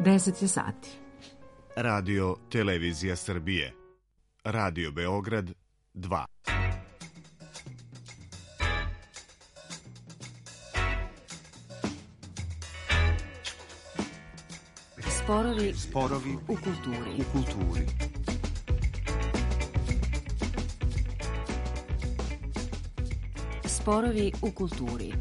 10 je sati. Radio Televizija Srbije. Radio Beograd 2. Sporovi u kulturi. Sporovi u kulturi.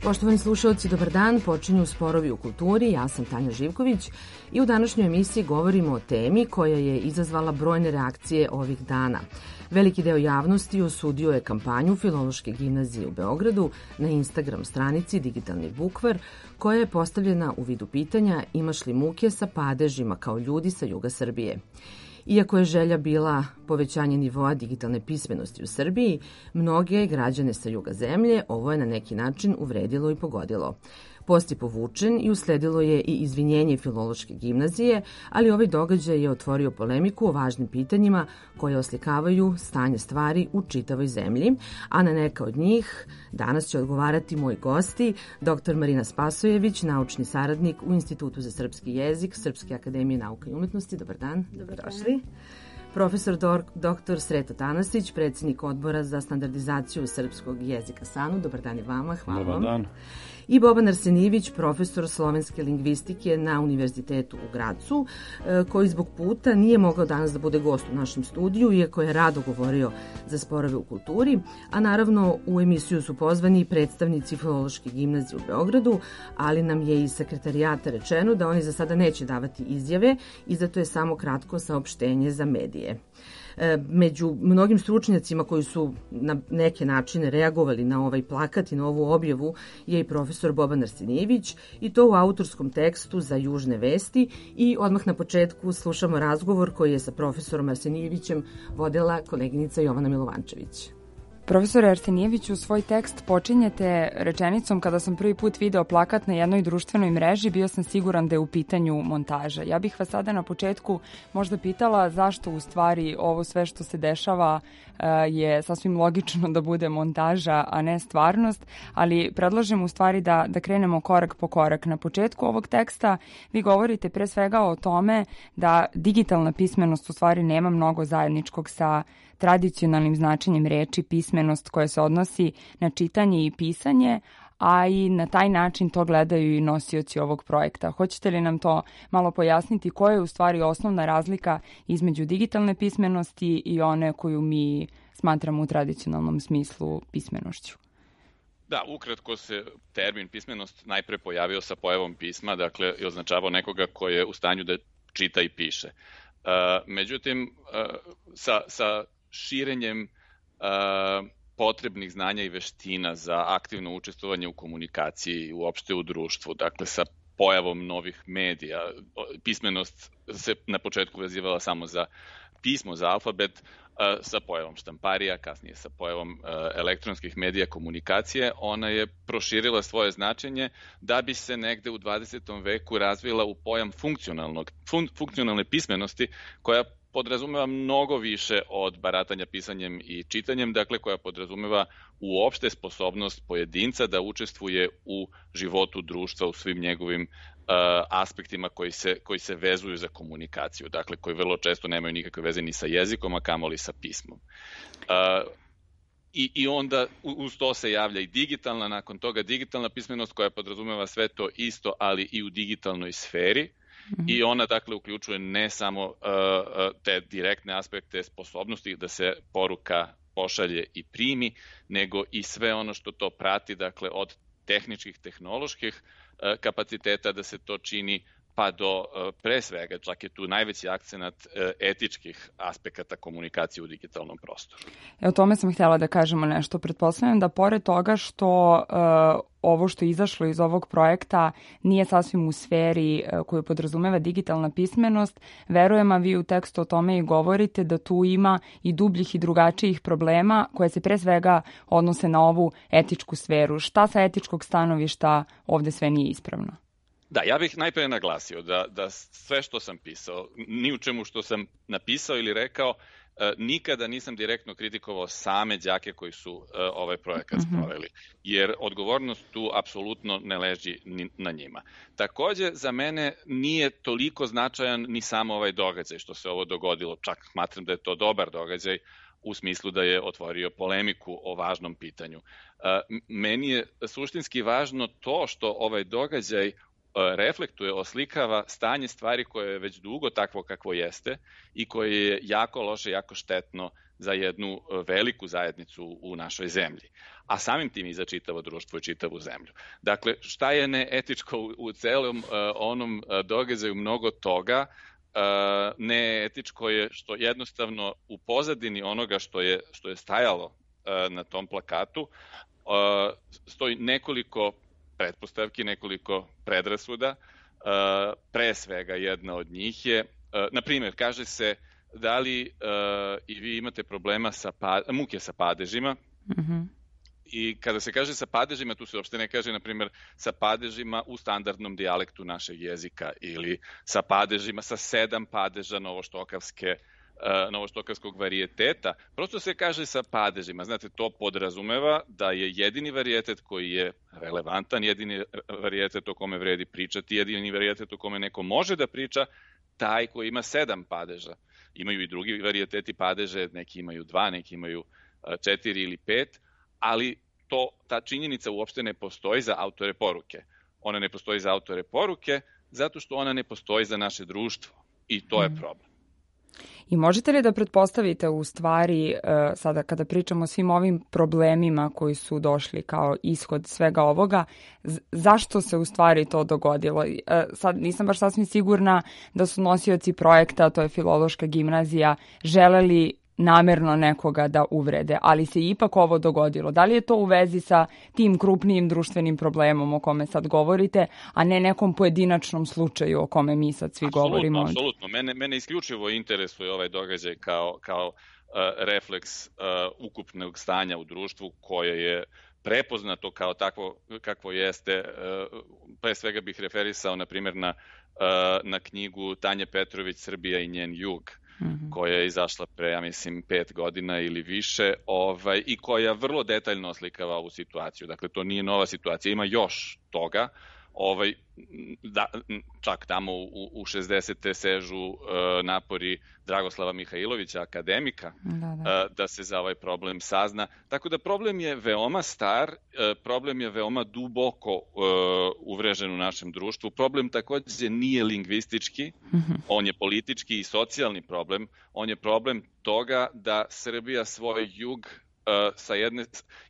Poštovani slušalci, dobar dan, počinju Sporovi u kulturi, ja sam Tanja Živković i u današnjoj emisiji govorimo o temi koja je izazvala brojne reakcije ovih dana. Veliki deo javnosti osudio je kampanju Filološke gimnazije u Beogradu na Instagram stranici Digitalni bukvar, koja je postavljena u vidu pitanja imaš li muke sa padežima kao ljudi sa juga Srbije. Iako je želja bila povećanje nivoa digitalne pismenosti u Srbiji, mnoge građane sa juga zemlje ovo je na neki način uvredilo i pogodilo. Post je povučen i usledilo je i izvinjenje Filološke gimnazije, ali ovaj događaj je otvorio polemiku o važnim pitanjima koje oslikavaju stanje stvari u čitavoj zemlji, a na neka od njih danas će odgovarati moji gosti, dr. Marina Spasojević, naučni saradnik u Institutu za srpski jezik Srpske akademije nauka i umetnosti. Dobar dan. Dobrodošli. Profesor dr. Sreto Tanasić, predsjednik odbora za standardizaciju srpskog jezika SANU. Dobar dan i vama, hvala vam. Dobar dan. I Boban Arsenijević, profesor slovenske lingvistike na Univerzitetu u Gracu, koji zbog puta nije mogao danas da bude gost u našem studiju, iako je rado govorio za sporove u kulturi, a naravno u emisiju su pozvani predstavnici Filološke gimnazije u Beogradu, ali nam je iz sekretarijata rečeno da oni za sada neće davati izjave i zato je samo kratko saopštenje za medije. Među mnogim stručnjacima koji su na neke načine reagovali na ovaj plakat i na ovu objavu je i profesor Boban Arsenijević i to u autorskom tekstu za Južne vesti i odmah na početku slušamo razgovor koji je sa profesorom Arsenijevićem vodila koleginica Jovana Milovančević. Profesore Arsenijeviću, svoj tekst počinjete rečenicom kada sam prvi put video plakat na jednoj društvenoj mreži, bio sam siguran da je u pitanju montaža. Ja bih vas sada na početku možda pitala zašto u stvari ovo sve što se dešava je sasvim logično da bude montaža, a ne stvarnost, ali predlažem u stvari da krenemo korak po korak. Na početku ovog teksta vi govorite pre svega o tome da digitalna pismenost u stvari nema mnogo zajedničkog sa tradicionalnim značenjem reči pismenost koja se odnosi na čitanje i pisanje, a i na taj način to gledaju i nosioci ovog projekta. Hoćete li nam to malo pojasniti koja je u stvari osnovna razlika između digitalne pismenosti i one koju mi smatramo u tradicionalnom smislu pismenošću? Da, ukratko se termin pismenost najpre pojavio sa pojavom pisma, dakle i označavao nekoga ko je u stanju da čita i piše. Međutim, sa širenjem potrebnih znanja i veština za aktivno učestvovanje u komunikaciji, uopšte u društvu, dakle sa pojavom novih medija. Pismenost se na početku vezivala samo za pismo, za alfabet, sa pojavom štamparija, kasnije sa pojavom elektronskih medija komunikacije, ona je proširila svoje značenje da bi se negde u 20. veku razvila u pojam funkcionalne pismenosti koja podrazumeva mnogo više od baratanja pisanjem i čitanjem, dakle koja podrazumeva uopšte sposobnost pojedinca da učestvuje u životu društva u svim njegovim aspektima koji se vezuju za komunikaciju, dakle koji vrlo često nemaju nikakve veze ni sa jezikom, a kamoli sa pismom. I onda uz to se javlja i digitalna, nakon toga digitalna pismenost koja podrazumeva sve to isto, ali i u digitalnoj sferi. I ona dakle uključuje ne samo te direktne aspekte sposobnosti da se poruka pošalje i primi, nego i sve ono što to prati, dakle od tehničkih, tehnoloških kapaciteta da se to čini, pa do pre svega, čak je tu najveći akcenat etičkih aspekata komunikacije u digitalnom prostoru. O tome sam htjela da kažemo nešto. Pretpostavljam da pored toga što ovo što je izašlo iz ovog projekta nije sasvim u sferi koju podrazumeva digitalna pismenost. Verujem, a vi u tekstu o tome i govorite da tu ima i dubljih i drugačijih problema koje se pre svega odnose na ovu etičku sferu. Šta sa etičkog stanovišta ovde sve nije ispravno? Da, ja bih najpre naglasio da sve što sam pisao, ni u čemu što sam napisao ili rekao, nikada nisam direktno kritikovao same đake koji su ovaj projekat sproveli, jer odgovornost tu apsolutno ne leži na njima. Takođe, za mene nije toliko značajan ni samo ovaj događaj što se ovo dogodilo, čak smatram da je to dobar događaj u smislu da je otvorio polemiku o važnom pitanju. Meni je suštinski važno to što ovaj događaj reflektuje, oslikava stanje stvari koje je već dugo takvo kakvo jeste i koje je jako loše, jako štetno za jednu veliku zajednicu u našoj zemlji, a samim tim i za čitavo društvo i čitavu zemlju. Dakle, šta je neetičko u celom onom događaju? Mnogo toga. Neetičko je što jednostavno u pozadini onoga što je stajalo na tom plakatu stoji nekoliko pretpostavki, nekoliko predrasuda. Pre svega jedna od njih je, na primjer, kaže se da li i vi imate problema muke sa padežima. I kada se kaže sa padežima, tu se uopšte ne kaže, na primjer, sa padežima u standardnom dijalektu našeg jezika ili sa padežima, sa 7 padeža novoštokavskog varijeteta. Prosto se kaže sa padežima. Znate, to podrazumeva da je jedini varijetet koji je relevantan, jedini varijetet o kome vredi pričati, jedini varijetet o kome neko može da priča, taj koji ima 7 padeža. Imaju i drugi varijeteti padeže, neki imaju 2, neki imaju 4 ili 5, ali ta činjenica uopšte ne postoji za autore poruke. Ona ne postoji za autore poruke zato što ona ne postoji za naše društvo i to je problem. I možete li da pretpostavite u stvari, sada kada pričamo o svim ovim problemima koji su došli kao ishod svega ovoga, zašto se u stvari to dogodilo? Sad nisam baš sasvim sigurna da su nosioci projekta, to je Filološka gimnazija, želeli namerno nekoga da uvrede, ali se ipak ovo dogodilo. Da li je to u vezi sa tim krupnijim društvenim problemom o kome sad govorite, a ne nekom pojedinačnom slučaju o kome mi sad svi govorimo? Apsolutno. Mene isključivo interesuje ovaj događaj kao refleks ukupnog stanja u društvu koje je prepoznato kao takvo kakvo jeste. Pre svega bih referisao, na primjer, na knjigu Tanje Petrović Srbija i njen jug, koja je izašla pre, ja mislim, 5 godina ili više, i koja vrlo detaljno oslikava ovu situaciju. Dakle, to nije nova situacija, ima još toga. Čak tamo u 60. sežu napori Dragoslava Mihajlovića, akademika, da se za ovaj problem sazna. Tako da problem je veoma star, problem je veoma duboko uvrežen u našem društvu. Problem takođe nije lingvistički, on je politički i socijalni problem. On je problem toga da Srbija svoj jug,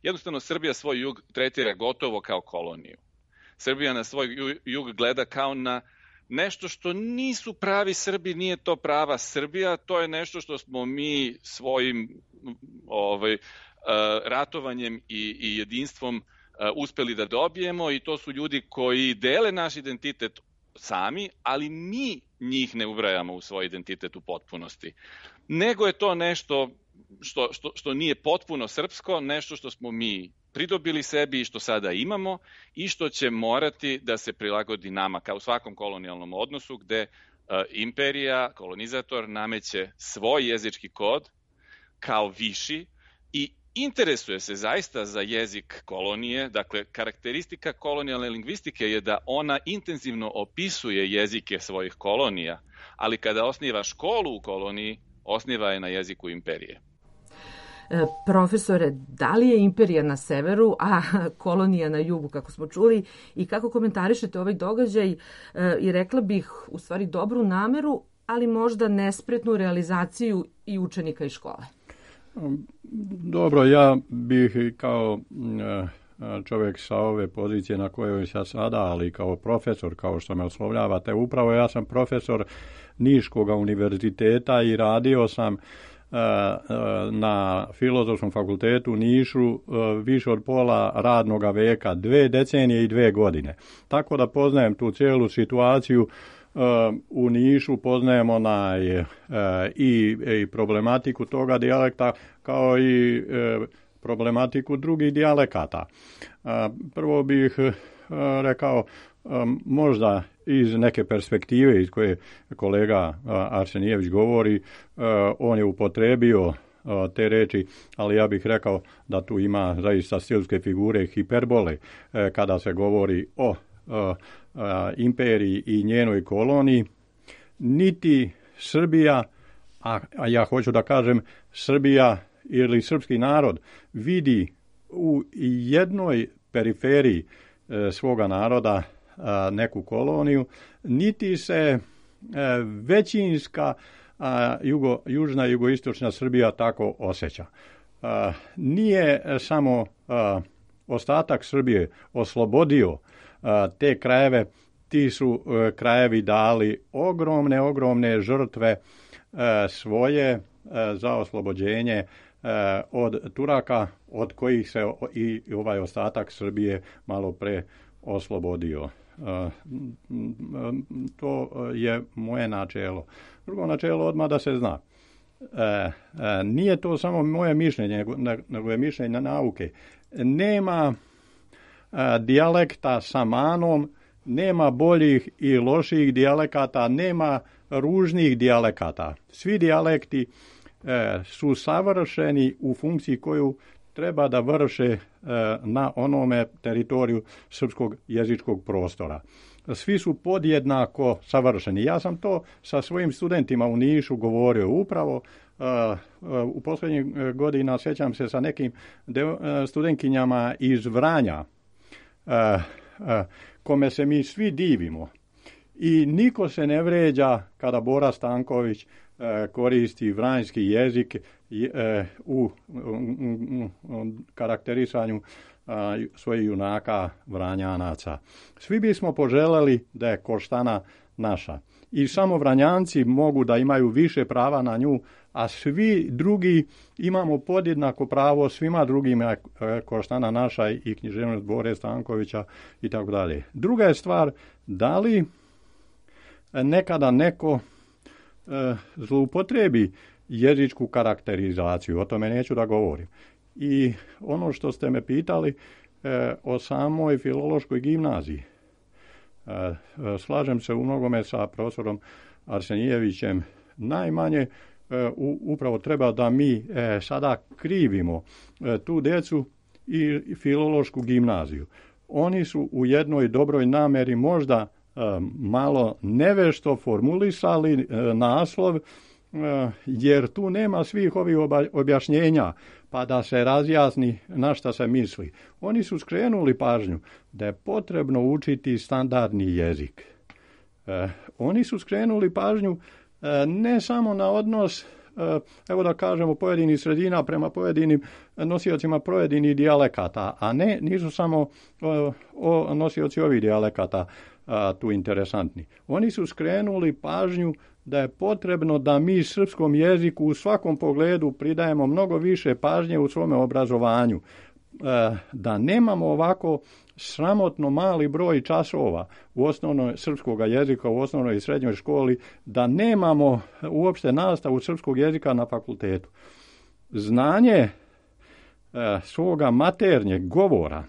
jednostavno Srbija svoj jug tretira gotovo kao koloniju. Srbija na svoj jug gleda kao na nešto što nisu pravi Srbi, nije to prava Srbija, to je nešto što smo mi svojim ratovanjem i jedinstvom uspeli da dobijemo, i to su ljudi koji dele naš identitet sami, ali mi njih ne ubrajamo u svoj identitet u potpunosti. Nego je to nešto što nije potpuno srpsko, nešto što smo mi pridobili sebi i što sada imamo i što će morati da se prilagodi nama, kao u svakom kolonijalnom odnosu gde imperija, kolonizator nameće svoj jezički kod kao viši i interesuje se zaista za jezik kolonije. Dakle, karakteristika kolonijalne lingvistike je da ona intenzivno opisuje jezike svojih kolonija, ali kada osniva školu u koloniji, osniva je na jeziku imperije. Profesore, da li je imperija na severu, a kolonija na jugu, kako smo čuli, i kako komentarišete ovaj događaj i rekla bih u stvari dobru nameru, ali možda nespretnu realizaciju i učenika i škole? Dobro, ja bih kao čovjek sa ove pozicije na kojoj sam sada, ali kao profesor, kao što me oslovljavate, upravo ja sam profesor Niškog univerziteta i radio sam na Filozofskom fakultetu u Nišu više od pola radnog veka, 2 decenije i 2 godine. Tako da poznajem tu cijelu situaciju u Nišu, poznajemo i problematiku toga dijalekta kao i problematiku drugih dijalekata. Prvo bih rekao, možda iz neke perspektive iz koje kolega Arsenijević govori, on je upotrebio te reči, ali ja bih rekao da tu ima zaista stilske figure hiperbole kada se govori o imperiji i njenoj koloniji. Niti Srbija, a ja hoću da kažem Srbija ili srpski narod vidi u jednoj periferiji svoga naroda neku koloniju, niti se većinska južna i jugoistočna Srbija tako osjeća. Nije samo ostatak Srbije oslobodio te krajeve, ti su krajevi dali ogromne žrtve svoje za oslobođenje od Turaka, od kojih se i ovaj ostatak Srbije malo pre oslobodio. To je moje načelo. Drugo načelo odmah da se zna. Nije to samo moje mišljenje, nego je mišljenje nauke. Nema dijalekta sa manom, nema boljih i loših dijalekata, nema ružnih dijalekata. Svi dijalekti su savršeni u funkciji koju treba da vrše na onome teritoriju srpskog jezičkog prostora. Svi su podjednako savršeni. Ja sam to sa svojim studentima u Nišu govorio upravo u posljednjih godina, sjećam se sa nekim studentkinjama iz Vranja, kome se mi svi divimo. I niko se ne vređa kada Bora Stanković koristi vranjski jezik u karakterisanju svojih junaka Vranjanaca. Svi bismo poželjeli da je Koštana naša. I samo Vranjanci mogu da imaju više prava na nju, a svi drugi imamo podjednako pravo, svima drugima je Koštana naša i književnost Bore Stankovića i tako dalje. Druga je stvar, da li nekada neko zloupotrebi jezičku karakterizaciju, o tome neću da govorim. I ono što ste me pitali o samoj filološkoj gimnaziji, slažem se u mnogome sa profesorom Arsenijevićem. Najmanje upravo treba da mi sada krivimo tu djecu i filološku gimnaziju. Oni su u jednoj dobroj nameri možda malo nevešto formulisali naslov, jer tu nema svih ovih objašnjenja, pa da se razjasni na šta se misli. Oni su skrenuli pažnju da je potrebno učiti standardni jezik. Oni su skrenuli pažnju ne samo na odnos, evo da kažemo, pojedinih sredina prema pojedinim nosiocima pojedinih dijalekata, a nisu samo nosioci ovih dijalekata tu interesantni. Oni su skrenuli pažnju da je potrebno da mi srpskom jeziku u svakom pogledu pridajemo mnogo više pažnje u svome obrazovanju. Da nemamo ovako sramotno mali broj časova u osnovnoj srpskog jezika u osnovnoj i srednjoj školi, da nemamo uopšte nastavu srpskog jezika na fakultetu. Znanje svoga maternjeg govora,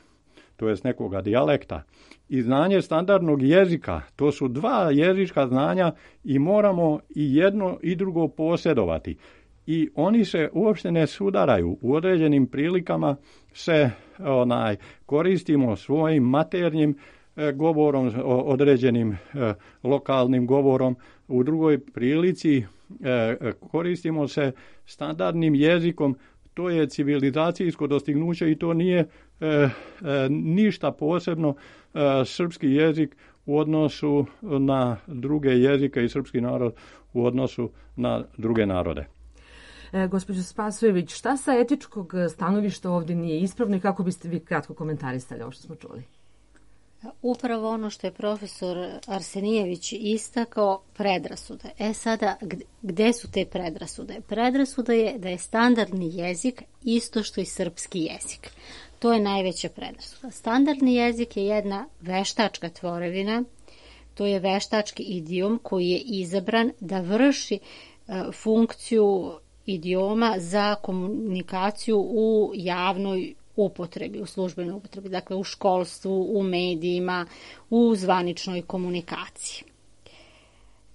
to jest nekoga dijalekta, i znanje standardnog jezika, to su dva jezička znanja i moramo i jedno i drugo posjedovati. I oni se uopšte ne sudaraju. U određenim prilikama se koristimo svojim maternjim govorom, određenim lokalnim govorom. U drugoj prilici koristimo se standardnim jezikom. To je civilizacijsko dostignuće i to nije ništa posebno srpski jezik u odnosu na druge jezike i srpski narod u odnosu na druge narode. Gospođo Spasojević, šta sa etičkog stanovišta ovdje nije ispravno i kako biste vi kratko komentarisali ovo što smo čuli? Upravo ono što je profesor Arsenijević istakao, predrasude. Sada, gde su te predrasude? Predrasuda je da je standardni jezik isto što i srpski jezik. To je najveća predrasuda. Standardni jezik je jedna veštačka tvorevina, to je veštački idiom koji je izabran da vrši funkciju idioma za komunikaciju u javnoj upotrebi, u službenoj upotrebi, dakle u školstvu, u medijima, u zvaničnoj komunikaciji.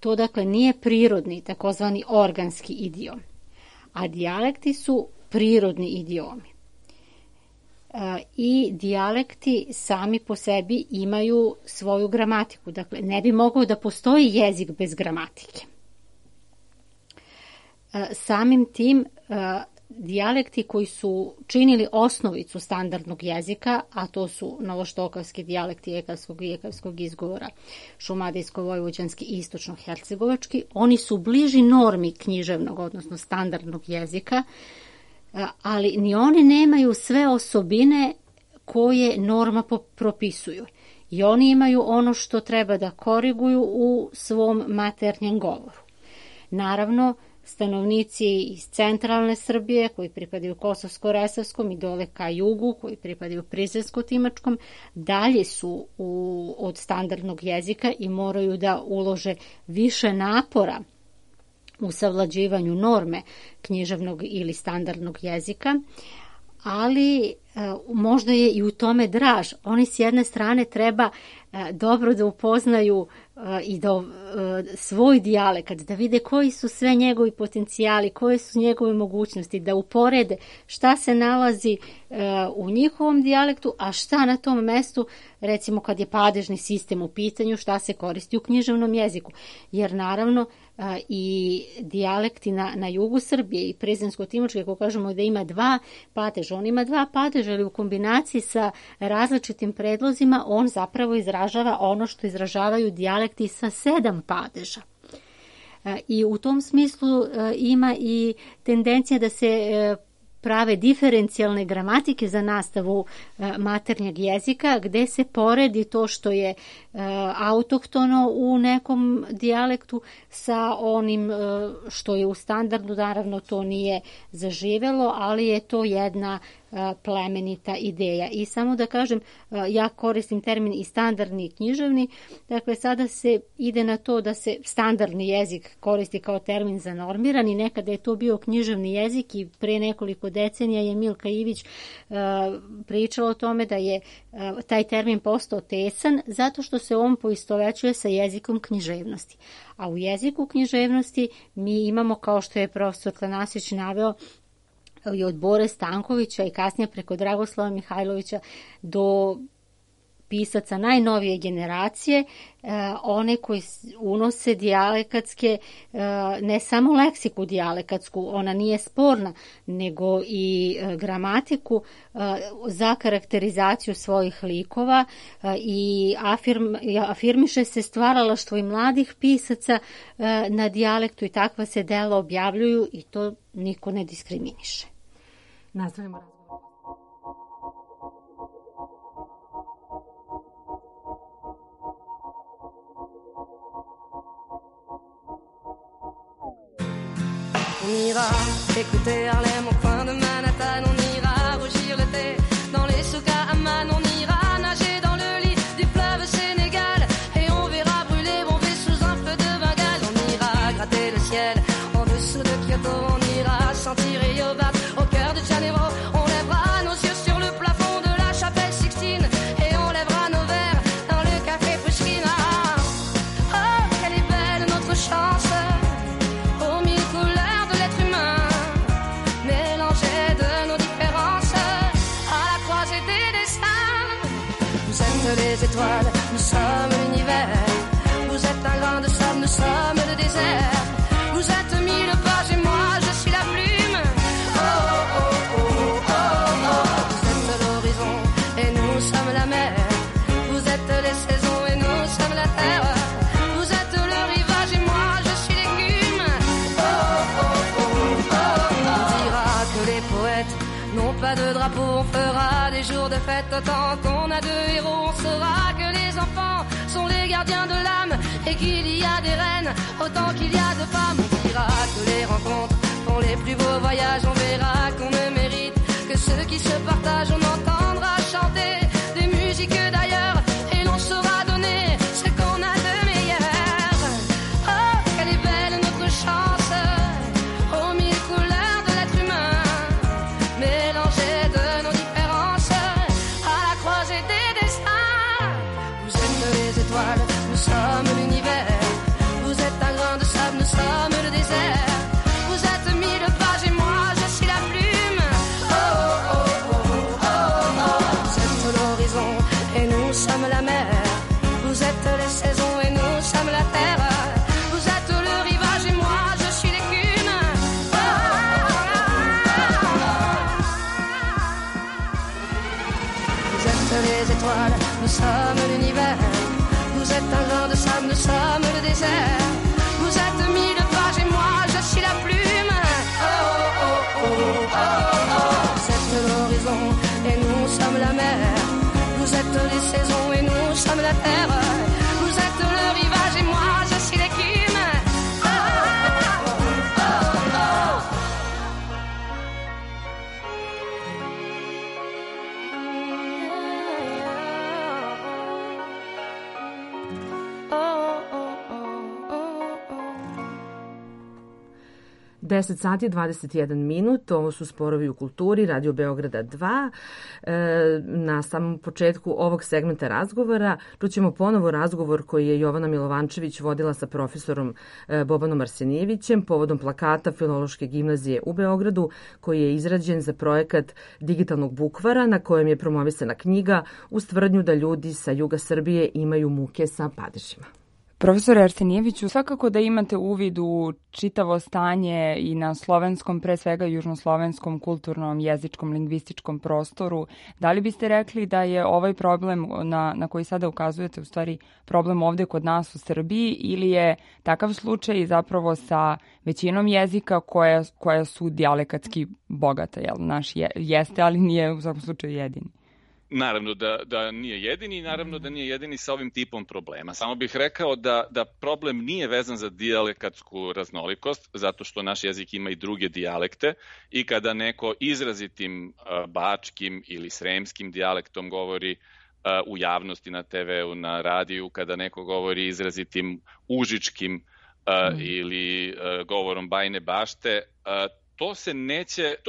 To dakle nije prirodni, takozvani organski idiom, a dijalekti su prirodni idiomi. I dijalekti sami po sebi imaju svoju gramatiku, dakle ne bi mogao da postoji jezik bez gramatike. Samim tim dijalekti koji su činili osnovicu standardnog jezika, a to su novoštokavski dijalekti ekavskog i ekavskog izgovora, šumadijsko-vojvođanski i istočno-hercegovački, oni su bliži normi književnog, odnosno standardnog jezika, ali ni oni nemaju sve osobine koje norma propisuju. I oni imaju ono što treba da koriguju u svom maternjem govoru. Naravno, stanovnici iz centralne Srbije koji pripadaju Kosovsko-Resavskom i dole ka jugu koji pripadaju Prizrensko-Timačkom dalje su od standardnog jezika i moraju da ulože više napora u savlađivanju norme književnog ili standardnog jezika, ali možda je i u tome draž. Oni s jedne strane treba dobro da upoznaju i da svoj dijalekt, da vide koji su sve njegovi potencijali, koje su njegove mogućnosti, da uporede šta se nalazi u njihovom dijalektu, a šta na tom mestu, recimo kad je padežni sistem u pitanju, šta se koristi u književnom jeziku. Jer naravno i dijalekti na jugu Srbije i Prizrensko-Timočke, ako kažemo da ima dva padeža, on ima dva padeža, ali u kombinaciji sa različitim predlozima on zapravo izražava ono što izražavaju dijalekti sa 7 padeža. I u tom smislu ima i tendencija da se prave diferencijalne gramatike za nastavu maternjeg jezika, gde se poredi to što je autohtono u nekom dijalektu sa onim što je u standardu. Naravno, to nije zaživelo, ali je to jedna plemenita ideja. I samo da kažem, ja koristim termin i standardni i književni, dakle sada se ide na to da se standardni jezik koristi kao termin za normirani, nekada je to bio književni jezik i pre nekoliko decenija je Milka Ivić pričala o tome da je taj termin postao tesan zato što se on poistovećuje sa jezikom književnosti. A u jeziku književnosti mi imamo, kao što je profesor Tanasić naveo, i od Bore Stankovića i kasnije preko Dragoslava Mihajlovića do pisaca najnovije generacije, one koji unose dijalekatske, ne samo leksiku dijalekatsku, ona nije sporna, nego i gramatiku za karakterizaciju svojih likova i afirmiše se stvaralaštvo i mladih pisaca na dijalektu i takva se dela objavljuju i to niko ne diskriminiše. Nastavimo. On ira écouter Harlem au coin de Manhattan, on ira rougir le thé dans les souks à Amman, on ira nager dans le lit du fleuve Sénégal et on verra brûler bomber sous un feu de Bengale. On ira gratter le ciel en dessous de Kyoto, on ira sentir Rio battre au cœur de Janeiro, on lèvera nos yeux sur le plafond de la chapelle Sixtine et on lèvera nos verres dans le café Pushkin. Oh, quelle est belle notre chance aux mille couleurs de l'être humain, mélangées de nos différences à la croisée des destins. Vous êtes les étoiles, nous sommes l'univers. Vous êtes un grain de sable, nous sommes le désert. Vous êtes mille pages et moi je suis la plume. Oh, oh, oh, oh, oh, oh. Vous êtes l'horizon et nous sommes la mer. Vous êtes les saisons et nous sommes la terre. Vous êtes le rivage et moi je suis l'écume. Oh, oh, oh, oh, oh. On dira que les poètes n'ont pas de le drapeau, on fera des jours de fête. Autant qu'on a deux héros, on saura que les enfants sont les gardiens de l'âme et qu'il y a des reines autant qu'il y a de femmes. On dira que les rencontres font les plus beaux voyages. On verra qu'on ne mérite que ceux qui se partagent. On entendra chanter des musiques d'ailleurs et l'on saura donner ce qu'on a de meilleur. Oh, quelle est belle notre chance, aux mille couleurs de l'être humain, mélangées de nos différences, à la croisée des destins. Vous êtes les étoiles, nous sommes l'univers. Vous êtes un grain de sable, nous sommes le désert. Vous êtes mille pages et moi je suis la plume. Oh, oh, oh, oh, oh, oh. Vous êtes l'horizon et nous sommes la mer. Vous êtes les saisons et nous sommes la terre. Vous êtes le rivage et moi je suis l'écume. Oh, oh, oh, oh. Vous êtes les étoiles, nous sommes l'univers. Vous êtes un grain de sable, nous sommes le désert. Vous êtes mille pages et moi je suis la plume. Oh, oh, oh, oh, oh, oh. Vous êtes l'horizon et nous sommes la mer. Vous êtes les saisons et nous sommes la terre. Vous êtes le rivage et moi je suis l'écume. Oh, oh, oh, oh, oh. Oh, oh, oh, oh, oh. 10 sati 21 minut, ovo su Sporovi u kulturi, Radio Beograda 2. Na samom početku ovog segmenta razgovora čućemo ponovo razgovor koji je Jovana Milovančević vodila sa profesorom Bobanom Arsenijevićem povodom plakata Filološke gimnazije u Beogradu koji je izrađen za projekat digitalnog bukvara na kojem je promovisana knjiga uz tvrdnju da ljudi sa juga Srbije imaju muke sa padežima. Profesore Arsenijeviću, svakako da imate uvid u čitavo stanje i na slovenskom, pre svega južnoslovenskom, kulturnom, jezičkom, lingvističkom prostoru. Da li biste rekli da je ovaj problem na koji sada ukazujete u stvari problem ovde kod nas u Srbiji ili je takav slučaj zapravo sa većinom jezika koja su dijalekatski bogata? Jel? Naš jeste, ali nije u svakom slučaju jedini. Naravno da nije jedini i naravno da nije jedini sa ovim tipom problema. Samo bih rekao da problem nije vezan za dijalektsku raznolikost, zato što naš jezik ima i druge dijalekte i kada neko izrazitim bačkim ili sremskim dijalektom govori u javnosti, na TV-u, na radiju, kada neko govori izrazitim užičkim ili govorom Bajine Bašte,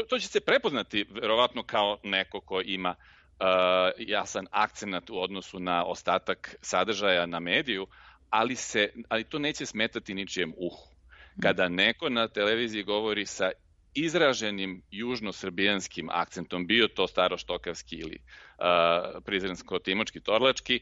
to će se prepoznati verovatno kao neko ko ima jasan akcenat u odnosu na ostatak sadržaja na mediju, ali to neće smetati ničijem uhu. Kada neko na televiziji govori sa izraženim južnosrbijanskim akcentom, bio to staroštokavski ili prizrensko-timočki, torlački,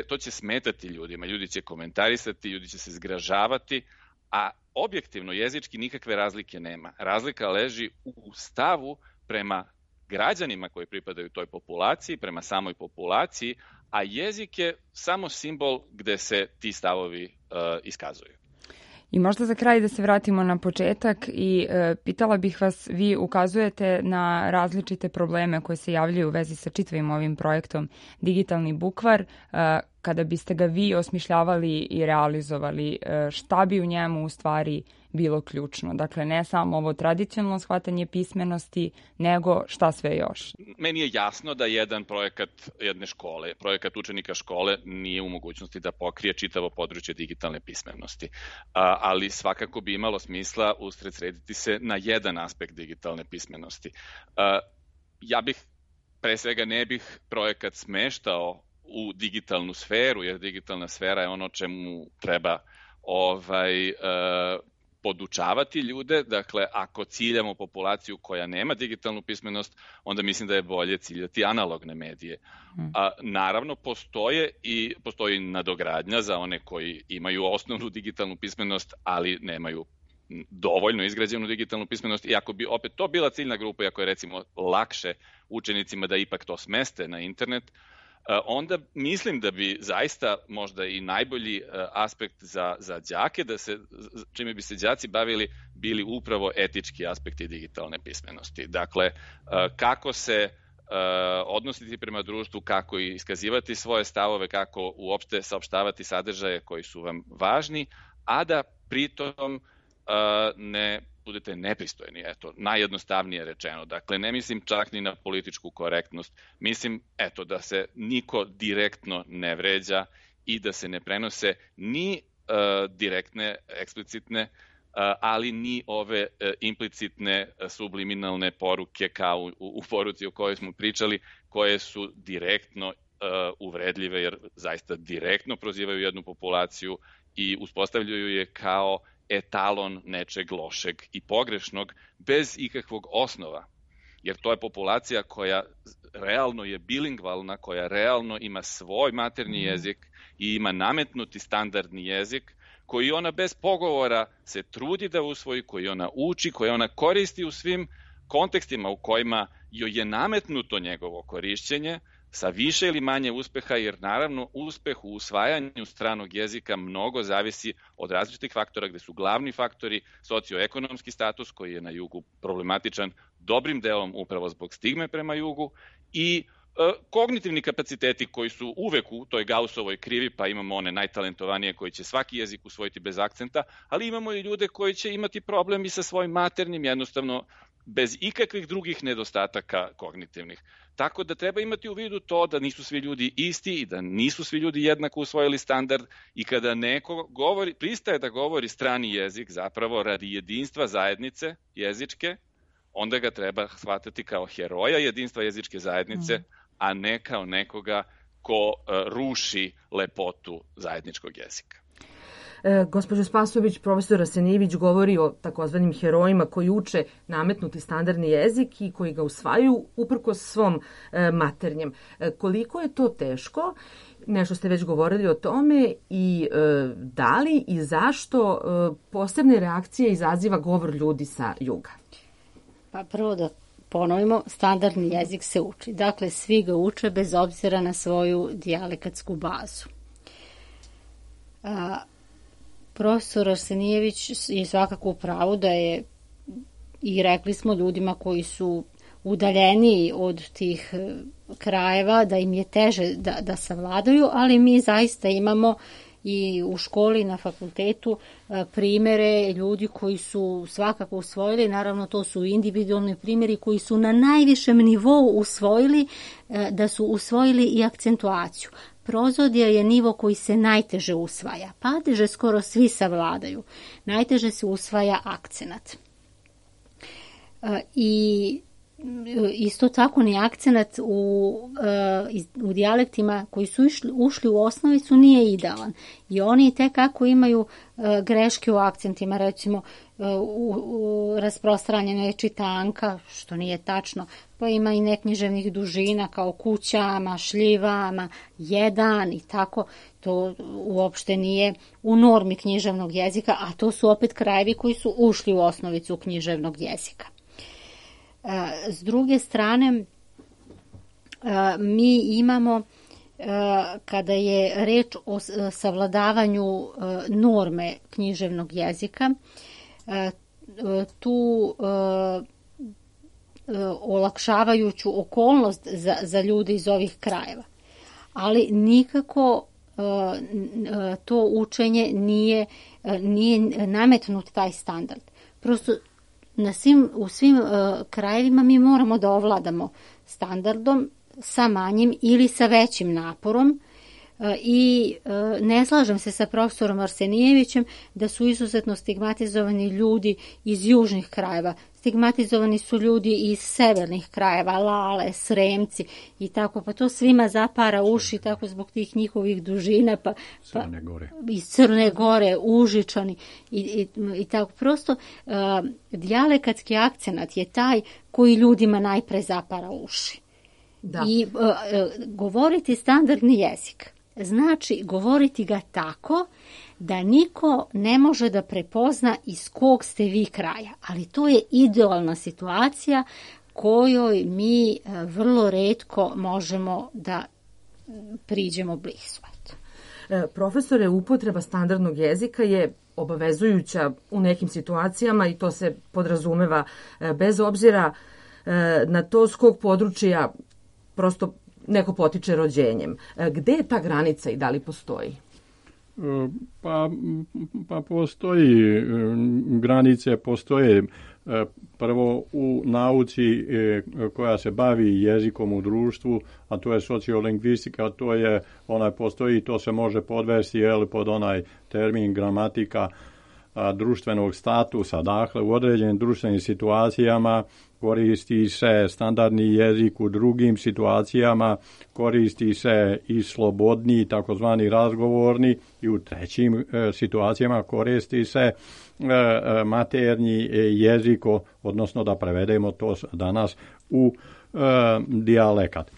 to će smetati ljudima. Ljudi će komentarisati, ljudi će se zgražavati, a objektivno jezički nikakve razlike nema. Razlika leži u stavu prema građanima koji pripadaju toj populaciji, prema samoj populaciji, a jezik je samo simbol gde se ti stavovi iskazuju. I možda za kraj da se vratimo na početak i pitala bih vas, vi ukazujete na različite probleme koje se javljaju u vezi sa čitavim ovim projektom Digitalni bukvar. Kada biste ga vi osmišljavali i realizovali, šta bi u njemu u stvari bilo ključno? Dakle, ne samo ovo tradicionalno shvatanje pismenosti, nego šta sve još? Meni je jasno da jedan projekat jedne škole, projekat učenika škole nije u mogućnosti da pokrije čitavo područje digitalne pismenosti. Ali svakako bi imalo smisla usredsrediti se na jedan aspekt digitalne pismenosti. Ja bih, pre svega, ne bih projekat smeštao u digitalnu sferu, jer digitalna sfera je ono čemu treba podučavati ljude. Dakle, ako ciljamo populaciju koja nema digitalnu pismenost, onda mislim da je bolje ciljati analogne medije. Naravno, postoji nadogradnja za one koji imaju osnovnu digitalnu pismenost, ali nemaju dovoljno izgrađenu digitalnu pismenost, i ako bi opet to bila ciljna grupa, i ako je recimo lakše učenicima da ipak to smeste na internet, onda mislim da bi zaista možda i najbolji aspekt za đake, čime bi se đaci bavili, bili upravo etički aspekti digitalne pismenosti. Dakle, kako se odnositi prema društvu, kako iskazivati svoje stavove, kako uopšte saopštavati sadržaje koji su vam važni, a da pritom ne budete nepristojni, eto, najjednostavnije rečeno. Dakle, ne mislim čak ni na političku korektnost, mislim, eto, da se niko direktno ne vređa i da se ne prenose ni direktne, eksplicitne, ali ni ove implicitne, subliminalne poruke kao u poruci o kojoj smo pričali, koje su direktno uvredljive, jer zaista direktno prozivaju jednu populaciju i uspostavljaju je kao etalon nečeg lošeg i pogrešnog, bez ikakvog osnova. Jer to je populacija koja realno je bilingvalna, koja realno ima svoj maternji jezik i ima nametnuti standardni jezik, koji ona bez pogovora se trudi da usvoji, koji ona uči, koji ona koristi u svim kontekstima u kojima joj je nametnuto njegovo korišćenje, sa više ili manje uspeha, jer naravno uspeh u usvajanju stranog jezika mnogo zavisi od različitih faktora, gde su glavni faktori socioekonomski status, koji je na jugu problematičan dobrim delom upravo zbog stigme prema jugu, i kognitivni kapaciteti koji su uvek u toj Gaussovoj krivi, pa imamo one najtalentovanije koji će svaki jezik usvojiti bez akcenta, ali imamo i ljude koji će imati problem i sa svojim maternjim, jednostavno bez ikakvih drugih nedostataka kognitivnih. Tako da treba imati u vidu to da nisu svi ljudi isti i da nisu svi ljudi jednako usvojili standard, i kada neko pristaje da govori strani jezik zapravo radi jedinstva zajednice jezičke, onda ga treba shvatiti kao heroja jedinstva jezičke zajednice, a ne kao nekoga ko ruši lepotu zajedničkog jezika. Gospođo Spasojević, profesor Arsenijević govori o takozvanim herojima koji uče nametnuti standardni jezik i koji ga usvajaju uprkos svom maternjem. Koliko je to teško? Nešto ste već govorili o tome, i da li i zašto posebne reakcije izaziva govor ljudi sa juga? Pa prvo da ponovimo, standardni jezik se uči. Dakle, svi ga uče bez obzira na svoju dijalektsku bazu. Profesor Arsenijević je svakako u pravu da je, i rekli smo ljudima koji su udaljeniji od tih krajeva, da im je teže da savladaju, ali mi zaista imamo i u školi, na fakultetu, primere ljudi koji su svakako usvojili, naravno to su individualni primjeri koji su na najvišem nivou usvojili, da su usvojili i akcentuaciju. Prozodija je nivo koji se najteže usvaja, padeže skoro svi savladaju, najteže se usvaja akcenat. I isto tako ni akcenat u dijalektima koji su ušli u osnovicu nije idealan. I oni tekako imaju greške u akcentima, recimo rasprostranjena je čitanka, što nije tačno, pa ima i neknjiževnih dužina kao kućama, šljivama, jedan i tako. To uopšte nije u normi književnog jezika, a to su opet krajevi koji su ušli u osnovicu književnog jezika. S druge strane, mi imamo, kada je reč o savladavanju norme književnog jezika, tu olakšavajuću okolnost za ljude iz ovih krajeva. Ali nikako to učenje nije nametnut taj standard. Prosto u svim krajevima mi moramo da ovladamo standardom sa manjim ili sa većim naporom, i ne slažem se sa profesorom Arsenijevićem da su izuzetno stigmatizovani ljudi iz južnih krajeva. Stigmatizovani su ljudi iz severnih krajeva, Lale, Sremci i tako, pa to svima zapara uši tako zbog tih njihovih dužina, pa iz Crne Gore, Užičani i tako. Prosto dijalekatski akcenat je taj koji ljudima najpre zapara uši. Da. I govoriti standardni jezik znači govoriti ga tako da niko ne može da prepozna iz kog ste vi kraja. Ali to je idealna situacija kojoj mi vrlo retko možemo priđemo blizu. Profesore, upotreba standardnog jezika je obavezujuća u nekim situacijama i to se podrazumeva bez obzira na to s kog područja prosto neko potiče rođenjem. Gde je ta granica i da li postoji? Pa postoji, granice postoje. Prvo u nauci koja se bavi jezikom u društvu, a to je sociolingvistika, to je, postoji, to se može podvesti pod onaj termin gramatika društvenog statusa. Dakle, u određenim društvenim situacijama koristi se standardni jezik, u drugim situacijama koristi se i slobodni, takozvani razgovorni, i u trećim situacijama koristi se maternji jezik, odnosno da prevedemo to danas u dijalekat.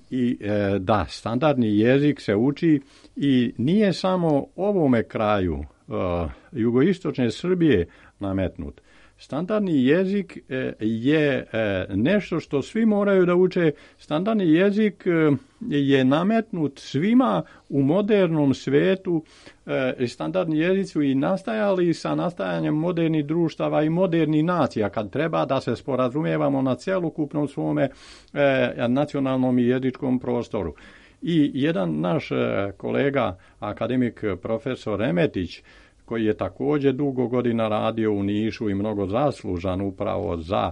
I da, standardni jezik se uči i nije samo ovome kraju jugoistočne Srbije nametnut. Standardni jezik je nešto što svi moraju da uče. Standardni jezik je nametnut svima u modernom svetu. Standardni jezici su i nastajali sa nastajanjem modernih društava i modernih nacija, kad treba da se sporazumijevamo na celokupnom svome nacionalnom i jezičkom prostoru. I jedan naš kolega, akademik profesor Remetić, koji je također dugo godina radio u Nišu i mnogo zaslužan upravo za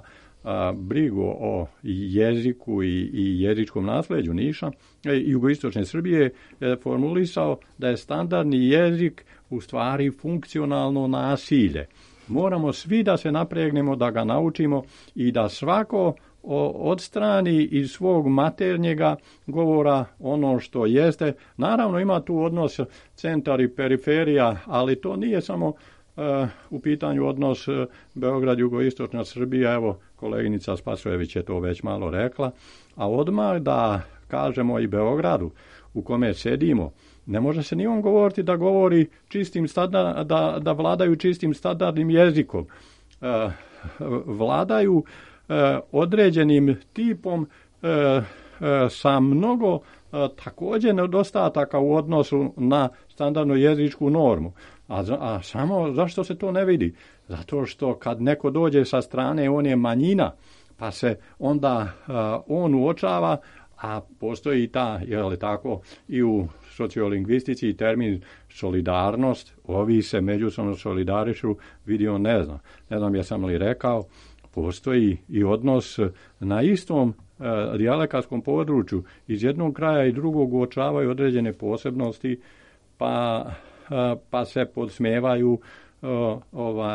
brigu o jeziku i jezičkom nasleđu Niša i jugoistočne Srbije, formulisao da je standardni jezik u stvari funkcionalno nasilje. Moramo svi da se napregnemo, da ga naučimo i da svako odstrani iz svog maternjega govora ono što jeste. Naravno ima tu odnos centar i periferija, ali to nije samo u pitanju odnos Beograd, jugoistočna Srbija. Evo, koleginica Spasojević je to već malo rekla. A odmah da kažemo i Beogradu u kome sedimo, ne može se ni on govoriti da govori čistim da vladaju čistim standardnim jezikom. Vladaju određenim tipom sa mnogo također nedostataka u odnosu na standardnu jezičku normu. A samo zašto se to ne vidi? Zato što kad neko dođe sa strane, on je manjina, pa se onda on uočava, a postoji i ta, tako, i u sociolingvistici termin solidarnost, ovi se međusobno solidarišu, vidio ne znam jesam li rekao, postoji i odnos na istom dijalektskom području. Iz jednog kraja i drugog uočavaju određene posebnosti, pa se podsmevaju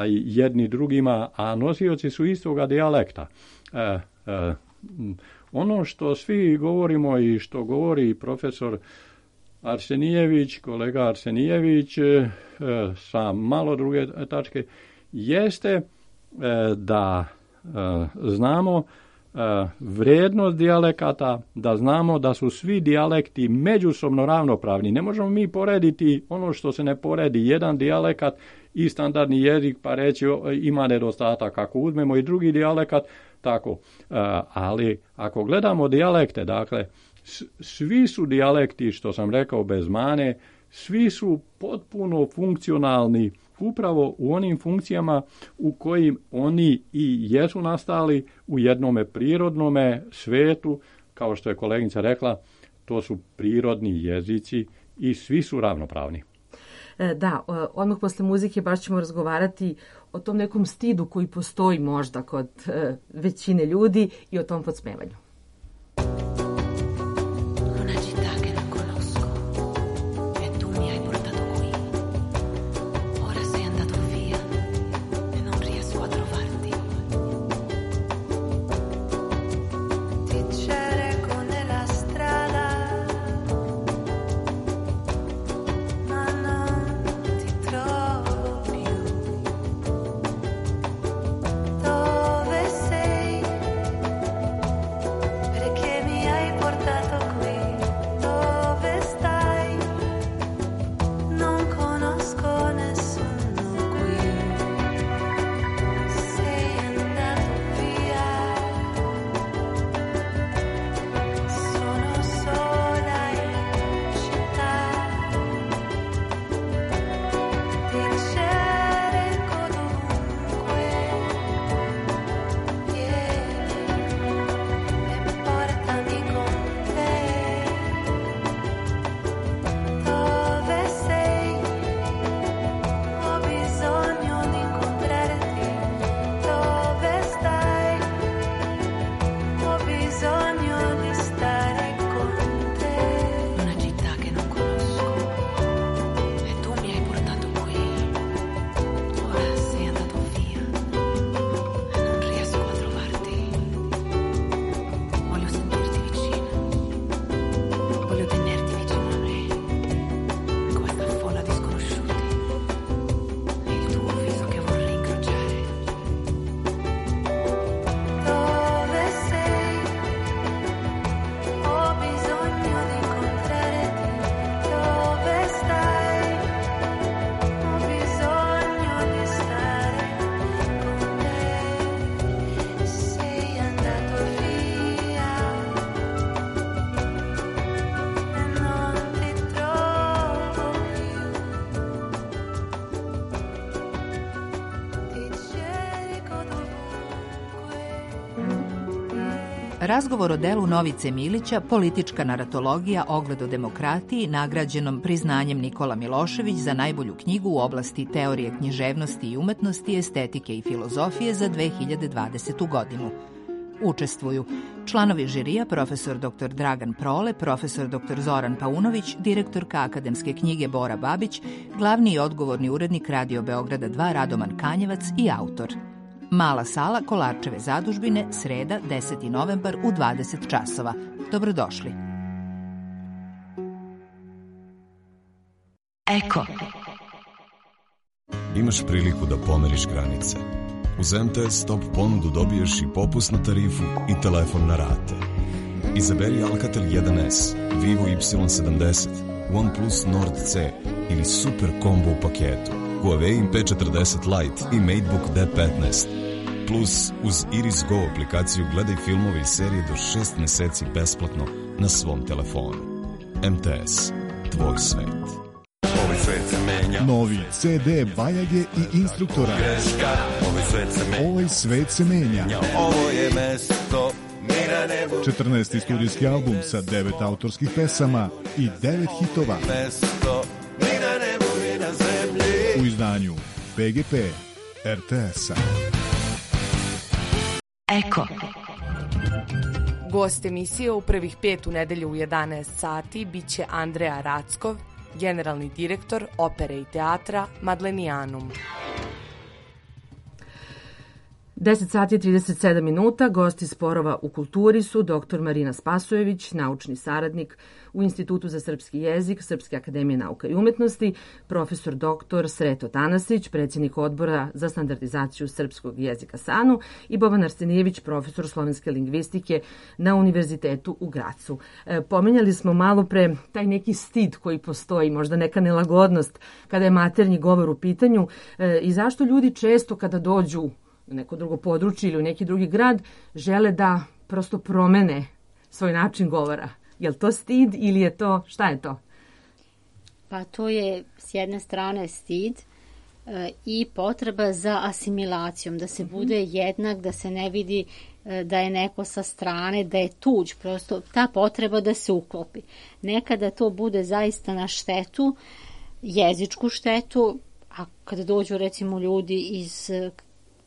jedni drugima, a nosioci su istoga dijalekta. Ono što svi govorimo i što govori profesor Arsenijević, kolega Arsenijević, sa malo druge tačke, jeste da znamo vrijednost dijalekata, da znamo da su svi dijalekti međusobno ravnopravni. Ne možemo mi porediti ono što se ne poredi, jedan dijalekat i standardni jezik, pa reći ima nedostatak. Ako uzmemo i drugi dijalekat, tako. Ali ako gledamo dijalekte, dakle, svi su dijalekti, što sam rekao, bez mane, svi su potpuno funkcionalni upravo u onim funkcijama u kojim oni i jesu nastali u jednome prirodnome svetu, kao što je kolegica rekla, to su prirodni jezici i svi su ravnopravni. Da, odmah posle muzike baš ćemo razgovarati o tom nekom stidu koji postoji možda kod većine ljudi i o tom podsmevanju. Dove sei? Razgovor o delu Novice Milića, politička naratologija, ogled o demokratiji, nagrađenom priznanjem Nikola Milošević za najbolju knjigu u oblasti teorije književnosti i umetnosti, estetike i filozofije za 2020. godinu. Učestvuju članovi žirija profesor dr. Dragan Prole, profesor dr. Zoran Paunović, direktorka akademske knjige Bora Babić, glavni i odgovorni urednik Radio Beograda 2 Radoman Kanjevac i autor. Mala sala Kolarčeve zadužbine, sreda, 10. novembar u 20 časova. Dobrodošli. Eko. Imaš priliku da pomeriš granice. Uz MTS Top ponudu dobiješ i popusnu tarifu i telefon na rate. Izaberi Alcatel 1S, Vivo Y70, OnePlus Nord C ili Super Combo u paketu. Huawei P40 Lite i MateBook D15. Plus, uz Iris Go aplikaciju gledaj filmove i serije do 6 meseci besplatno na svom telefonu. MTS. Tvoj svet. Ovaj svet se menja. Novi CD Bajage i Instruktora. Greška. Ovaj svet se menja. Ovaj svet se menja. Ovo je mesto mira nebu. 14. studijski album sa 9 autorskih pesama i 9 hitova. Mesto mira nebu i na zemlji. U izdanju PGP RTS-a. Eko. Gost emisije u prvih 5 u nedelju u 11 sati biće Andreja Rackov, generalni direktor opere i teatra Madlenianum. 10 sati i 37 minuta, gosti Sporova u kulturi su dr. Marina Spasojević, naučni saradnik u Institutu za srpski jezik Srpske akademije nauka i umetnosti, profesor dr. Sreto Tanasić, predsjednik odbora za standardizaciju srpskog jezika SANU i Boban Arsenijević, profesor slovenske lingvistike na Univerzitetu u Gracu. Pomenjali smo malo pre taj neki stid koji postoji, možda neka nelagodnost kada je maternji govor u pitanju i zašto ljudi često kada dođu u neko drugo područje ili u neki drugi grad žele da prosto promene svoj način govora. Je li to stid ili je to, šta je to? Pa to je s jedne strane stid i potreba za asimilacijom, da se bude jednak, da se ne vidi da je neko sa strane, da je tuđ, prosto ta potreba da se uklopi. Nekada to bude zaista na štetu, jezičku štetu, a kada dođu recimo ljudi iz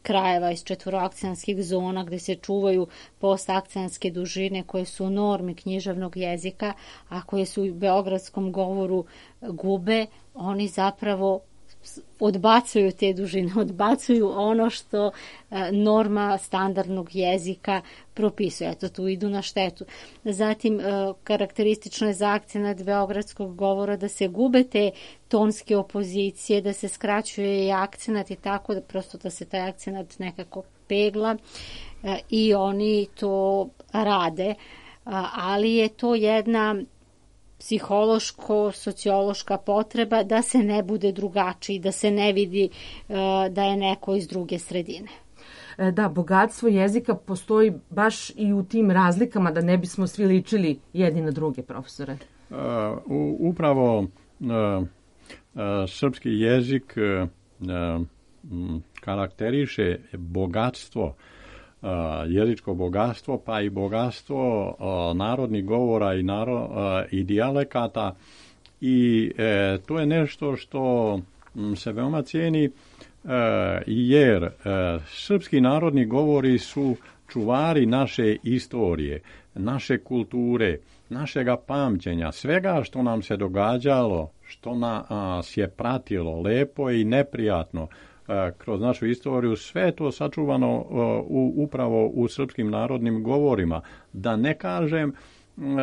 krajeva, iz četvoroakcenskih zona gde se čuvaju postakcenske dužine koje su normi književnog jezika, a koje su u beogradskom govoru gube, oni zapravo odbacuju te dužine, odbacuju ono što norma standardnog jezika propisuje. Eto, tu idu na štetu. Zatim, karakteristično je za akcenat beogradskog govora da se gube te tonske opozicije, da se skraćuje i akcenat i tako, da prosto da se taj akcenat nekako pegla i oni to rade, ali je to jedna psihološko-sociološka potreba da se ne bude drugačiji, da se ne vidi da je neko iz druge sredine. Da, bogatstvo jezika postoji baš i u tim razlikama, da ne bismo svi ličili jedni na druge, profesore. Upravo srpski jezik karakteriše bogatstvo, jezičko bogatstvo, pa i bogatstvo narodnih govora i dijalekata i to je nešto što se veoma cijeni jer srpski narodni govori su čuvari naše istorije, naše kulture, našega pamćenja, svega što nam se događalo, što nas je pratilo, lepo i neprijatno kroz našu istoriju, sve to sačuvano upravo u srpskim narodnim govorima. Da ne kažem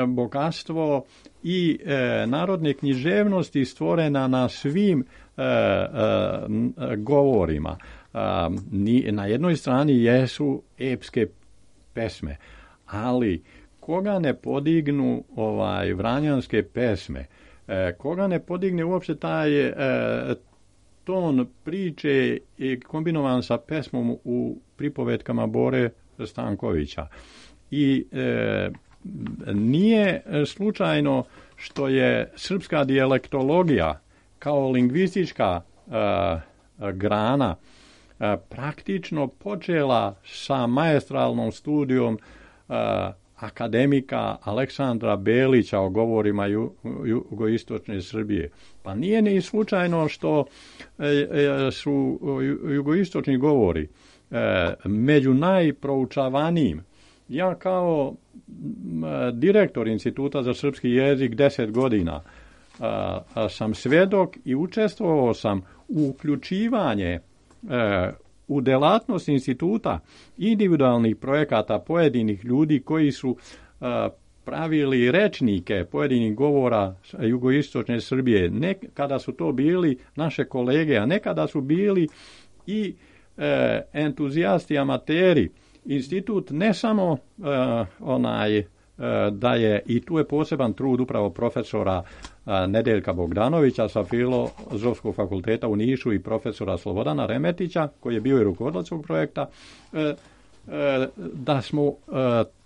bogatstvo i narodne književnosti stvorena na svim govorima. Na jednoj strani jesu epske pesme, ali koga ne podignu vranjanske pesme, koga ne podigne uopšte taj ton priče kombinovan sa pesmom u pripovetkama Bore Stankovića. I nije slučajno što je srpska dijalektologija kao lingvistička grana praktično počela sa maestralnom studijom akademika Aleksandra Belića o govorima jugoistočne Srbije. Pa nije ni slučajno što su jugoistočni govori među najproučavanijim. Ja kao direktor Instituta za srpski jezik 10 godina sam svjedok i učestvovao sam u uključivanje u delatnost instituta individualnih projekata pojedinih ljudi koji su pravili rečnike pojedinih govora jugoistočne Srbije. Nekada su to bili naše kolege, a nekada su bili i entuzijasti, amateri. Institut ne samo da je, i tu je poseban trud upravo profesora Nedeljka Bogdanovića sa Filozofskog fakulteta u Nišu i profesora Slobodana Remetića, koji je bio i rukovodilac ovog projekta, da smo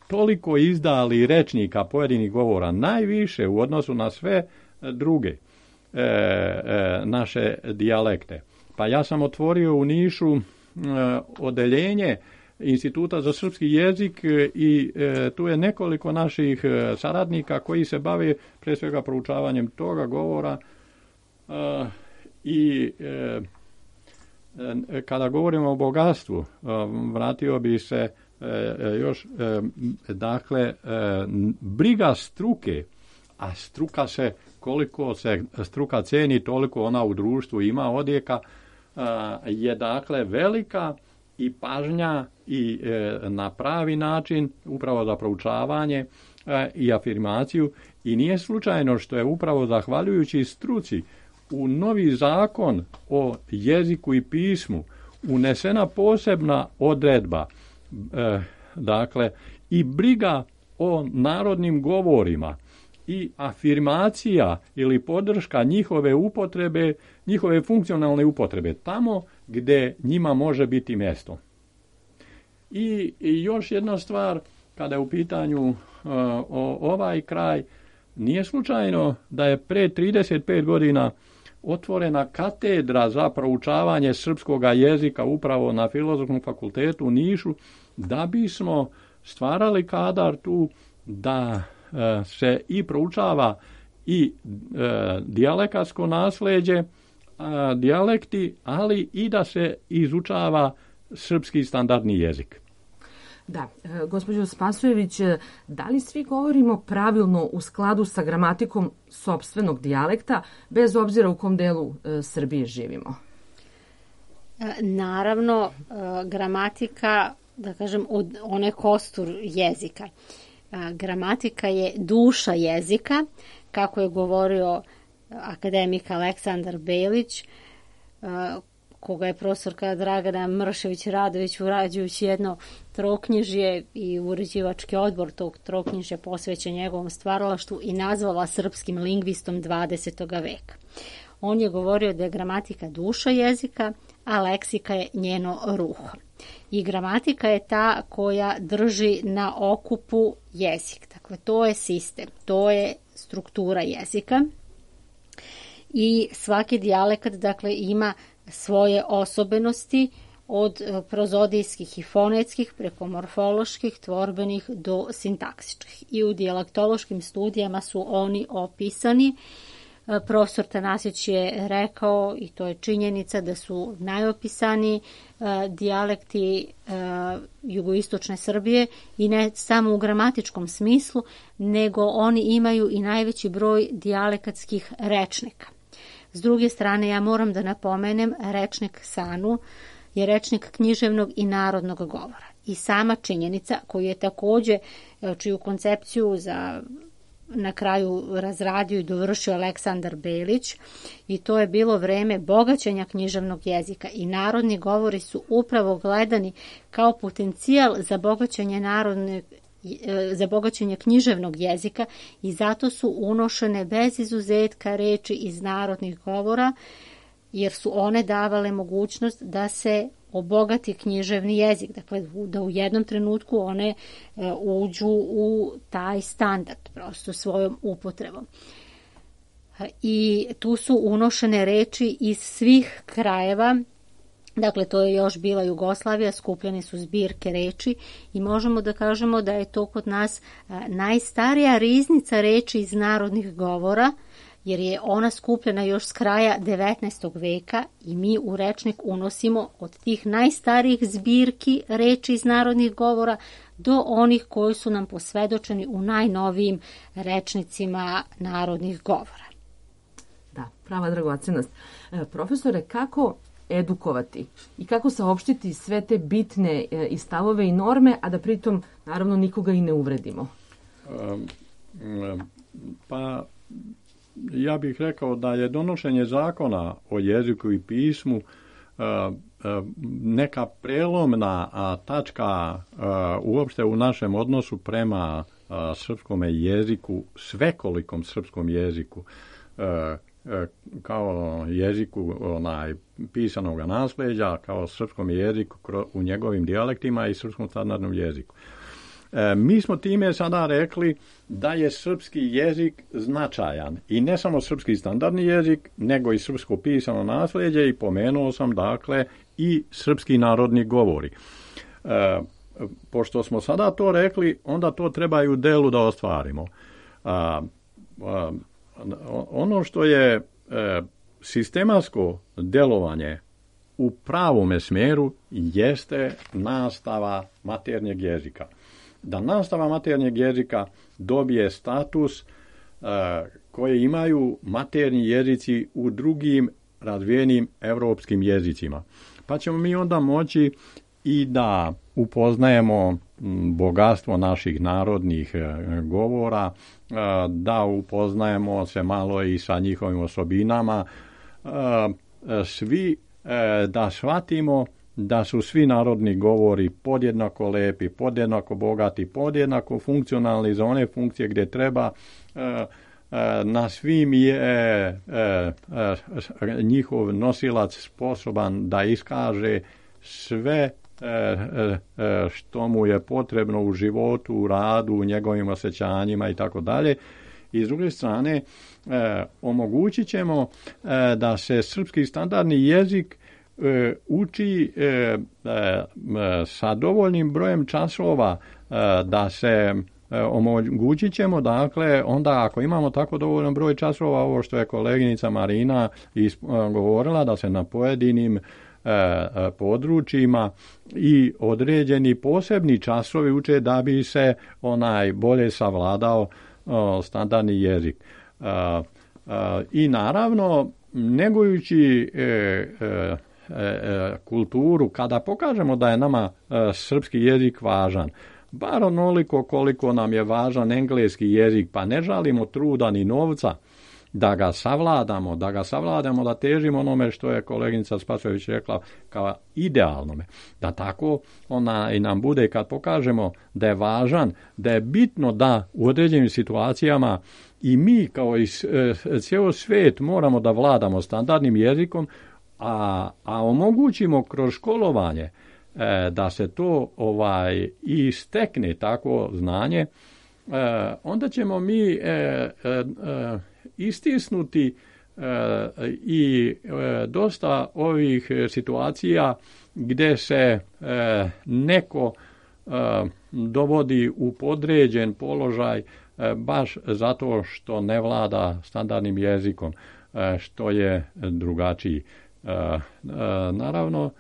toliko izdali rečnika pojedinih govora, najviše u odnosu na sve druge naše dijalekte. Pa ja sam otvorio u Nišu odeljenje Instituta za srpski jezik i tu je nekoliko naših saradnika koji se bave pre svega proučavanjem toga govora i kada govorimo o bogatstvu, vratio bi se još, dakle, briga struke, a struka se, koliko se struka ceni, toliko ona u društvu ima odjeka, je dakle velika i pažnja i na pravi način upravo za proučavanje i afirmaciju, i nije slučajno što je upravo zahvaljujući struci u novi zakon o jeziku i pismu unesena posebna odredba, dakle, i briga o narodnim govorima i afirmacija ili podrška njihove upotrebe, njihove funkcionalne upotrebe tamo gdje njima može biti mjesto. I još jedna stvar, kada je u pitanju ovaj kraj, nije slučajno da je pre 35 godina otvorena katedra za proučavanje srpskoga jezika upravo na Filozofskom fakultetu u Nišu, da bismo stvarali kadar tu da se i proučava i dijalekatsko nasleđe, dijalekti, ali i da se izučava srpski standardni jezik. Da, gospođo Spasojević, da li svi govorimo pravilno u skladu sa gramatikom sopstvenog dijalekta, bez obzira u kom delu Srbije živimo? Naravno, gramatika, da kažem, ona je kostur jezika. Gramatika je duša jezika, kako je govorio akademik Aleksandar Belić, koga je profesorka Dragana Mršević-Radović, urađujući jedno troknjižje i uređivački odbor tog troknjižja posvećen njegovom stvaralaštvu i nazvala srpskim lingvistom 20. veka. On je govorio da je gramatika duša jezika, a leksika je njeno ruho. I gramatika je ta koja drži na okupu jezik. Dakle, to je sistem, to je struktura jezika. I svaki dijalekat, dakle, ima svoje osobenosti od prozodijskih i fonetskih preko morfoloških, tvorbenih do sintaksičkih. I u dijalektološkim studijama su oni opisani. Profesor Tanasić je rekao, i to je činjenica, da su najopisaniji dijalekti jugoistočne Srbije i ne samo u gramatičkom smislu, nego oni imaju i najveći broj dijalekatskih rečnika. S druge strane, ja moram da napomenem, rečnik Sanu je rečnik književnog i narodnog govora. I sama činjenica koju je također, čiju koncepciju na kraju razradio i dovršio Aleksandar Belić, i to je bilo vreme bogaćenja književnog jezika, i narodni govori su upravo gledani kao potencijal za bogaćenje književnog jezika, i zato su unošene bez izuzetka reči iz narodnih govora, jer su one davale mogućnost da se obogati književni jezik, dakle da u jednom trenutku one uđu u taj standard prosto svojom upotrebom. I tu su unošene reči iz svih krajeva Dakle, to je još bila Jugoslavija, skupljene su zbirke reči i možemo da kažemo da je to kod nas najstarija riznica reči iz narodnih govora, jer je ona skupljena još s kraja 19. veka i mi u rečnik unosimo od tih najstarijih zbirki reči iz narodnih govora do onih koji su nam posvedočeni u najnovijim rečnicima narodnih govora. Da, prava dragocenost. Profesore, kako edukovati i kako saopštiti sve te bitne i stavove i norme, a da pritom naravno nikoga i ne uvredimo? Pa ja bih rekao da je donošenje zakona o jeziku i pismu neka prelomna tačka uopšte u našem odnosu prema srpskom jeziku, svekolikom srpskom jeziku, kao jeziku pisanog nasleđa, kao srpskom jeziku u njegovim dijalektima i srpskom standardnom jeziku. Mi smo time sada rekli da je srpski jezik značajan i ne samo srpski standardni jezik, nego i srpsko pisano nasleđe i pomenuo sam dakle i srpski narodni govori. Pošto smo sada to rekli, onda to treba i u delu da ostvarimo. Ono što je sistematsko delovanje u pravome smjeru jeste nastava maternjeg jezika. Da nastava maternjeg jezika dobije status koje imaju maternji jezici u drugim razvijenim evropskim jezicima. Pa ćemo mi onda moći i da upoznajemo bogatstvo naših narodnih govora, da upoznajemo se malo i sa njihovim osobinama, svi da shvatimo da su svi narodni govori podjednako lepi, podjednako bogati, podjednako funkcionalni za one funkcije gdje treba. Na svim je njihov nosilac sposoban da iskaže sve što mu je potrebno u životu, u radu, u njegovim osjećanjima i tako dalje. I s druge strane, omogućit ćemo da se srpski standardni jezik uči sa dovoljnim brojem časova, da se omogućit ćemo, dakle, onda ako imamo tako dovoljan broj časova, ovo što je koleginica Marina govorila, da se na pojedinim područjima i određeni posebni časovi uče da bi se bolje savladao standardni jezik. I naravno, negujući kulturu, kada pokažemo da je nama srpski jezik važan, bar onoliko koliko nam je važan engleski jezik, pa ne žalimo truda ni novca da ga savladamo, da težimo onome što je koleginica Spasojević rekla kao idealnome. Da tako i nam bude kad pokažemo da je važan, da je bitno da u određenim situacijama i mi kao i cijel svijet moramo da vladamo standardnim jezikom, a omogućimo kroz školovanje da se to i stekne tako znanje, onda ćemo mi istisnuti i dosta ovih situacija gdje se neko dovodi u podređen položaj baš zato što ne vlada standardnim jezikom, što je drugačiji. Naravno,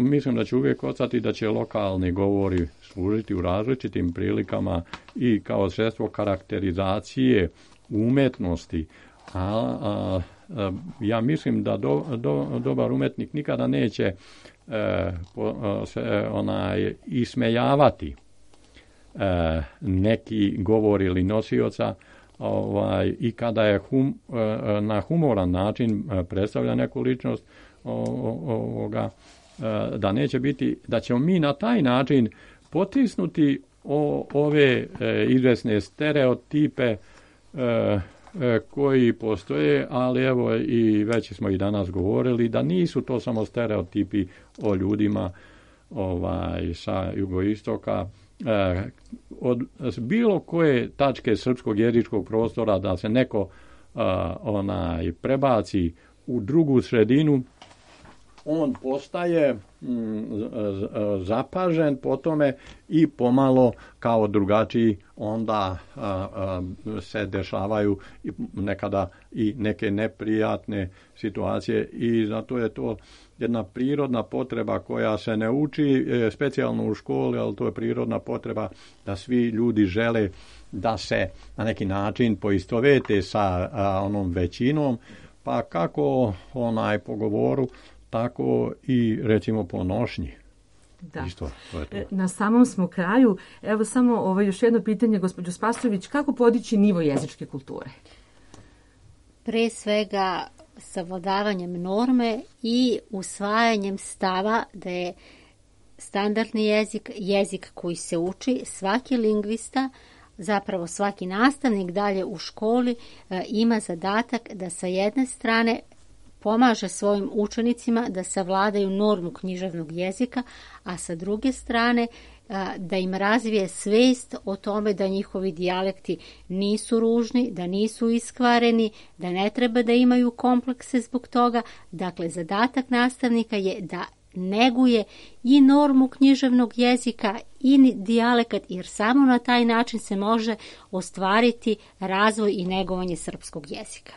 mislim da će uvijek ostati da će lokalni govori služiti u različitim prilikama i kao sredstvo karakterizacije umetnosti. Ja mislim da dobar umetnik nikada neće ismejavati neki govor ili nosioca, i kada je na humoran način predstavlja neku ličnost, da neće biti, da ćemo mi na taj način potisnuti ove izvesne stereotipe koji postoje, ali evo i već smo i danas govorili da nisu to samo stereotipi o ljudima sa jugoistoka, od bilo koje tačke srpskog jezičkog prostora da se neko prebaci u drugu sredinu, on postaje zapažen po tome i pomalo kao drugačiji onda se dešavaju nekada i neke neprijatne situacije i zato je to jedna prirodna potreba koja se ne uči specijalno u školi, ali to je prirodna potreba da svi ljudi žele da se na neki način poistovete sa onom većinom, pa kako po govoru, tako i recimo po nošnji. Da. Isto, to je to. Na samom smo kraju. Evo samo još jedno pitanje, gospođo Spasojević, kako podići nivo jezičke kulture? Pre svega savladavanjem norme i usvajanjem stava da je standardni jezik, jezik koji se uči, svaki lingvista, zapravo svaki nastavnik dalje u školi ima zadatak da sa jedne strane pomaže svojim učenicima da savladaju normu književnog jezika, a sa druge strane da im razvije svest o tome da njihovi dijalekti nisu ružni, da nisu iskvareni, da ne treba da imaju komplekse zbog toga. Dakle, zadatak nastavnika je da neguje i normu književnog jezika i dijalekat, jer samo na taj način se može ostvariti razvoj i negovanje srpskog jezika.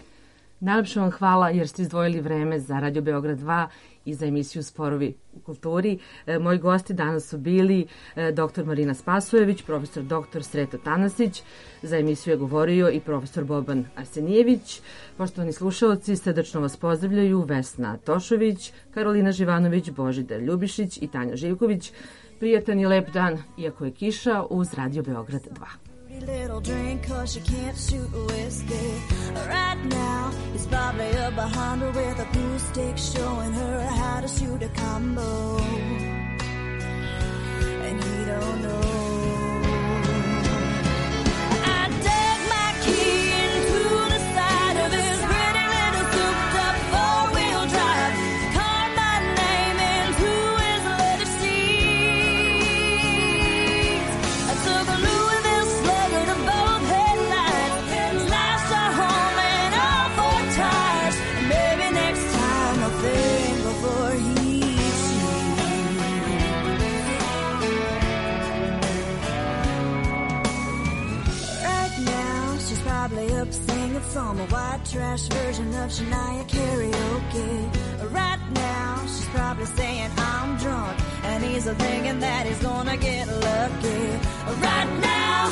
Najlepše vam hvala jer ste izdvojili vreme za Radio Beograd 2 i za emisiju Sporovi u kulturi. Moji gosti danas su bili dr. Marina Spasojević, profesor dr. Sreto Tanasić, za emisiju je govorio i profesor Boban Arsenijević. Poštovani slušalci, srdačno vas pozdravljaju Vesna Tošović, Karolina Živanović, Božidar Ljubišić i Tanja Živković. Prijatan i lep dan, iako je kiša, uz Radio Beograd 2. Little drink cause she can't shoot whiskey. Right now he's probably up behind her with a pool stick showing her how to shoot a combo. And he don't know. I dug my key into the side of his pretty little souped up four-wheel drive. Called my name into his leather seats. I took a Louisville Slugger to both headlights, slashed her home and all four tires. Maybe next time I'll think before he cheats. Right now she's probably up singing some white trash version of Shania karaoke. Right now she's probably saying I'm drunk and he's thinking that he's gonna get lucky. Right now